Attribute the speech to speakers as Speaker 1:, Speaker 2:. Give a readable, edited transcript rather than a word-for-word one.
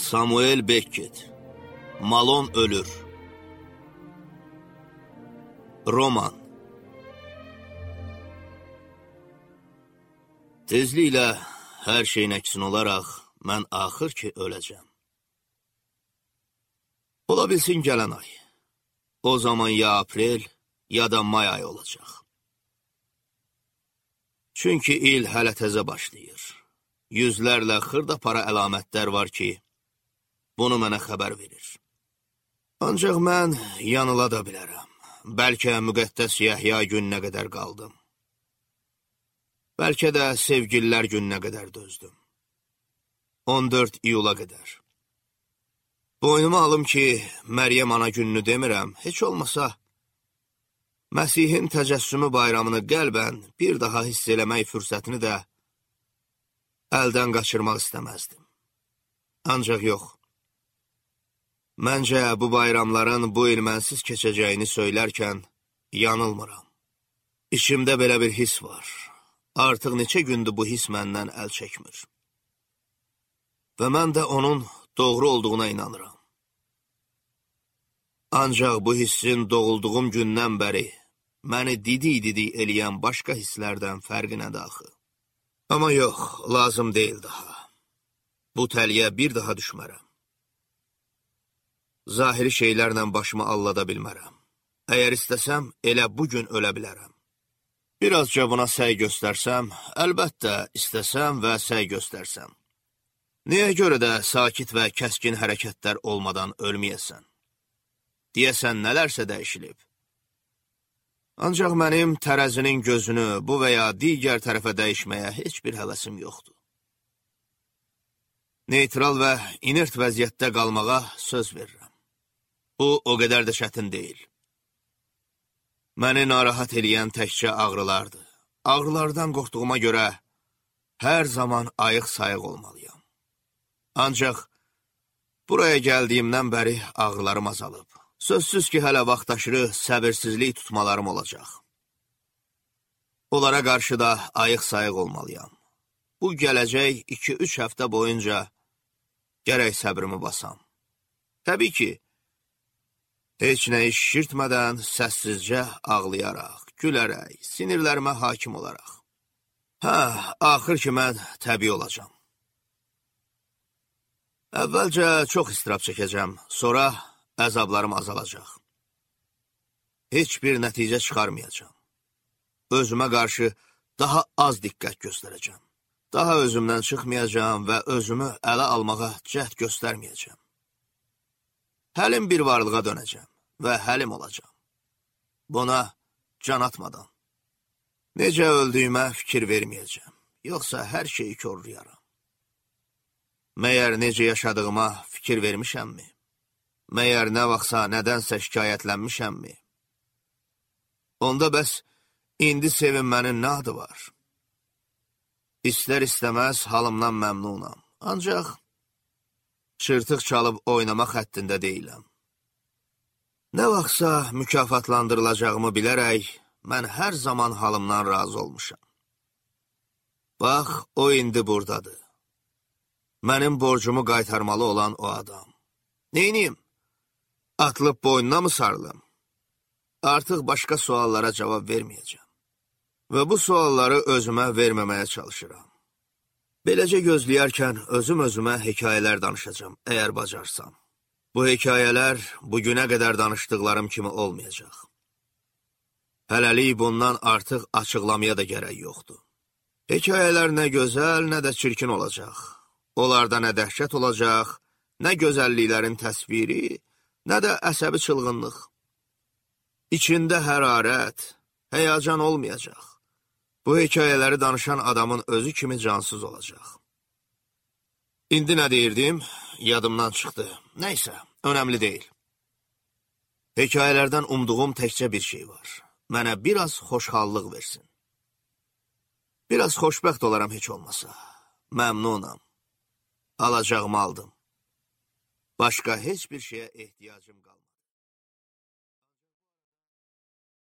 Speaker 1: Samuel Beckett, Malon ölür. Roman. Tezliklə hər şeyin əksin olaraq mən axır ki öləcəm. Ola bilsin gələn ay. O zaman ya aprel, ya da may ayı olacaq. Çünki il hələ təzə başlayır. Yüzlərlə xırda para əlamətlər var ki, bunu mənə xəbər verir. Ancaq mən yanıla da bilərəm. Bəlkə müqəddəs Yəhya gününə qədər qaldım. Bəlkə də sevgililər gününə qədər dözdüm. 14 iyula qədər. Boynuma alım ki, Məryəm ana gününü demirəm, heç olmasa Məsihin təcəssümü bayramını qəlbən bir daha hiss eləmək fürsətini də əldən qaçırmaq istəməzdim. Ancaq yox. Məncə bu bayramların bu il mənsiz keçəcəyini söylərkən yanılmıram. İçimdə belə bir his var. Artıq neçə gündür bu his məndən əl çəkmir. Və mən də onun doğru olduğuna inanıram. Ancaq bu hissin doğulduğum gündən bəri məni didi eləyən başqa hisslərdən fərqi nədir axı? Amma yox, lazım deyil daha. Bu təliyə bir daha düşmərəm. Zahiri şeylərlə başımı allada bilmərəm. Əgər istəsəm, elə bugün ölə bilərəm. Birazca buna səy göstərsəm, əlbəttə istəsəm və səy göstərsəm. Niyə görə də sakit və kəskin hərəkətlər olmadan ölməyəsən? Deyəsən, nələrsə dəyişilib. Ancaq mənim tərəzinin gözünü bu və ya digər tərəfə dəyişməyə heç bir həvəsim yoxdur. Neytral və inert vəziyyətdə qalmağa söz verirəm. Bu, o qədər də çətin deyil. Məni narahat eləyən təkcə ağrılardır. Ağrılardan qorxduğuma görə hər zaman ayıq-sayıq olmalıyam. Ancaq buraya gəldiyimdən bəri ağrılarım azalıb. Sözsüz ki, hələ vaxtaşırı səbirsizlik tutmalarım olacaq. Onlara qarşı da ayıq-sayıq olmalıyam. Bu gələcək 2-3 həftə boyunca gərək səbrimi basam. Təbii ki, heç nə iş şişirtmədən, səssizcə ağlayaraq, gülərək, sinirlərimə hakim olaraq. Axır ki, mən təbii olacam. Əvvəlcə çox istirab çəkəcəm, sonra əzablarım azalacaq. Heç bir nəticə çıxarmayacam. Özümə qarşı daha az diqqət göstərəcəm. Daha özümdən çıxmayacam və özümü ələ almağa cəhd göstərməyəcəm. Həlim bir varlığa dönəcəm və həlim olacam. Buna can atmadan. Necə öldüyümə fikir verməyəcəm, yoxsa hər şeyi korlayaram. Məyər necə yaşadığıma fikir vermişəmmi? Məyər nə vaxtsa nədənsə şikayətlənmişəmmi? Onda bəs indi sevinmənin nə adı var? İstər istəməz halımdan məmnunam, ancaq çırtıq çalıb oynamaq həddində deyiləm. Nə vaxtsa mükafatlandırılacağımı bilərək, mən hər zaman halımdan razı olmuşam. Bax, o indi buradadır. Mənim borcumu qaytarmalı olan o adam. Neyniyim? Atılıb boynuna mı sarılım? Artıq başqa suallara cavab verməyəcəm. Və bu sualları özümə verməməyə çalışıram. Beləcə gözləyərkən özümə hekayələr danışacağam, əgər bacarsam. Bu hekayələr bugünə qədər danışdıqlarım kimi olmayacaq. Hələlik bundan artıq açıqlamaya da gərək yoxdur. Hekayələr nə gözəl, nə də çirkin olacaq. Onlarda nə dəhşət olacaq, nə gözəlliklərin təsviri, nə də əsəbi çılğınlıq. İçində hərarət, həyəcan olmayacaq. Bu hekayələri danışan adamın özü kimi cansız olacaq. İndi nə deyirdim? Yadımdan çıxdı. Nəysə, önəmli deyil. Hekayələrdən umduğum təkcə bir şey var. Mənə biraz xoşhallıq versin. Biraz xoşbəxt olaram heç olmasa. Məmnunam. Alacağımı aldım. Başqa heç bir şeyə ehtiyacım qalmadı.